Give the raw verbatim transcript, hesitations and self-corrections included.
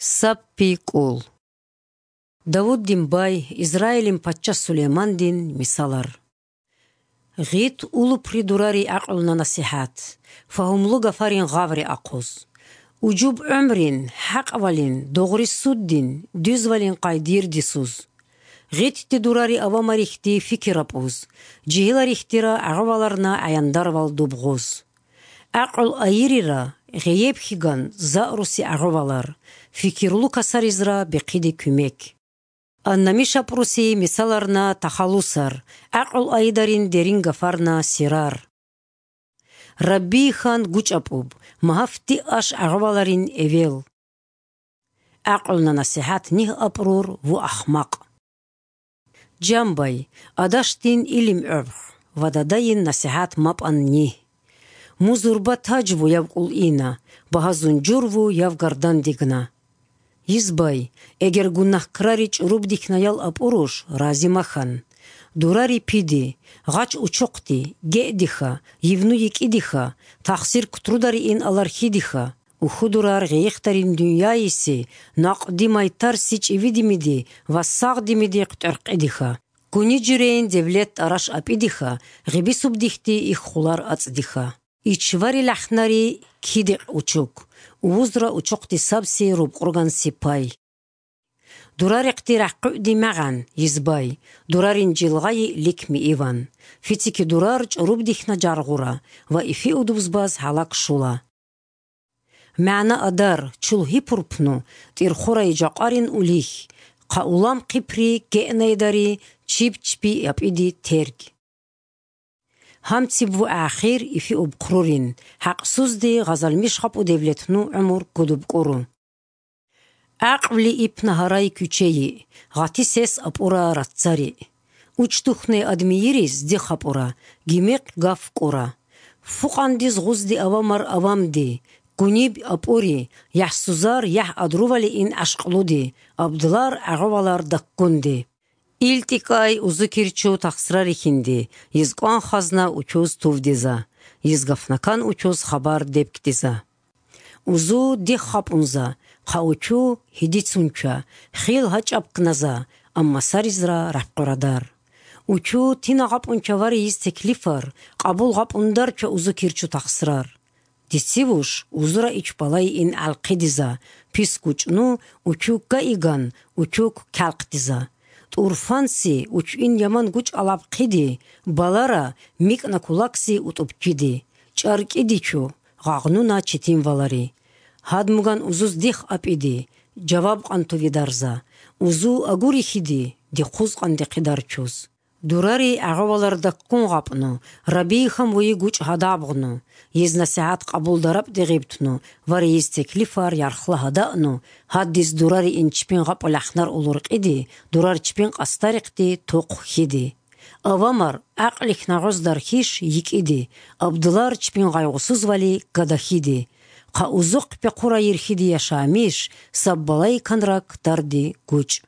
Саппи кӀул. Давуддин бай, Израилин пачча Сулеймандин мисалар. ГъитӀ улупри дурари гӀакълуна-насихӀат, фагьумлу гафарин гъаври ахъуз. Уджуб гӀумрин, хӀакъвалин, догъри суддин, дузвалин къайдир дисуз. ГъитӀде дурари авамарихьди фикир рапӀуз, жигьиларихьдира агъаваларна гӀаяндарвал дубгъуз. ГӀакъул айирира, гъейеб хьиган заруси агъавалар, фикирлу касаризра бехъиде кумек. Аннамиш апруси мисаларна тахалусар, гӀакъул айдарин дерин гафарна сирар. Раббийхан гучӀапӀуб, магьафти аш агъаваларин эвел. ГӀакълуна насихӀат нигь апрур ву ахмакъ. Жамбай, адашдин илим гӀорхъ ва дадайин насихӀат мапӀан нигь. Музурба таж ву яв кӀул ина, багьазун жур ву яв гардан дигна. Йизбай, эгер гунагь крари чӀуруб дихьнаял апуруш, рази махан. Дурари пиди, гъач учухъди, геъдиха, йивну йикӀидиха, тахсир кутрудариин алархидиха, ухудурар гъейихдарин дуняйиси, накъди майтарси чӀивидимиди ва сагъдимиди хътӀеркъидиха. Кунижирейин девлет тӀараш апӀидиха, гъибисуб дихьди иххулар ацӀдиха. Ичвари лахнари кидикъ учук, увузра учухъди сабси рубкъурган сипай. Дурарихъди рахъугӀди магӀан, йизбай, дурарин жилгъайи ликми иван. Фицики дурар чӀуруб дихьна жаргъура ва ифиудубзбаз гьалак шула. МягӀна адар, чул гьипурпну, тӀирхурай жакъарин улихь, хъа улам хъипри геънайдари чиб чби япӀиди терг. Гьамциб ву ахир ифиуб хърурин, хӀакъсузди гъазалмиш хапӀу девлетну гӀумур гудуб кӀуру. ГӀакъвли ипна гьарай кучейи, гъатисес апӀура раццари. Учдухъне адмийирис дихъ апӀура, гимикъ гаф кӀура. Фукъандиз гъузди авамар авамди, гуниб апӀури, яхӀсузар яхӀ адрували ин гӀашкълуди, абдулар гӀагъавалар даккунди. ИлтӀикӀай узукирчу тахсра рихьинди, йизкӀван хазна учуз тувдиза, йизгафнакан учуз хабар дебкдиза. Узу дихъ хапӀунза, хъа учу гьидицунча, хил гьачӀаб кназа, амма саризра рахъурадар. Учу тина гъапӀунча варейиз теклифар, къабул гъапӀундарча узукирчу тахсрар. Дицивуш узура ичбалай ин гӀалхъидиза, пис гучӀну учук гаиган, учук калхъдиза. ТӀурфанси учуин яман гучӀ алабхъиди, балара микӀна кулакси утӀубкиди, чӀаркӀидичу, гъагънуна читинвалари. Гьадмуган узуз дихъ апӀиди, жаваб къантуги дарза, узу агурихьиди, дихъуз къандихъидарчуз. Дурари гӀагъавалар даккун гъапӀну, рабийхам вуи гучӀ гьадабгъну, йиз насихӀат къабулдараб дегъибтну ва рейиз теклифар ярхла гьадаъну, гьаддиз дурари инчпин гъапӀу лахнар улуркъиди, дурар чпин къастарихъди тухъ хьиди. Авамар, гӀакълихь нагъуз дархьиш йикӀиди, абдулар чпин гъайгъусузвали гадахьиди. Хъа узухъ пехъура йирхьиди яшамиш, саб балайкан рак дарди гучӀ.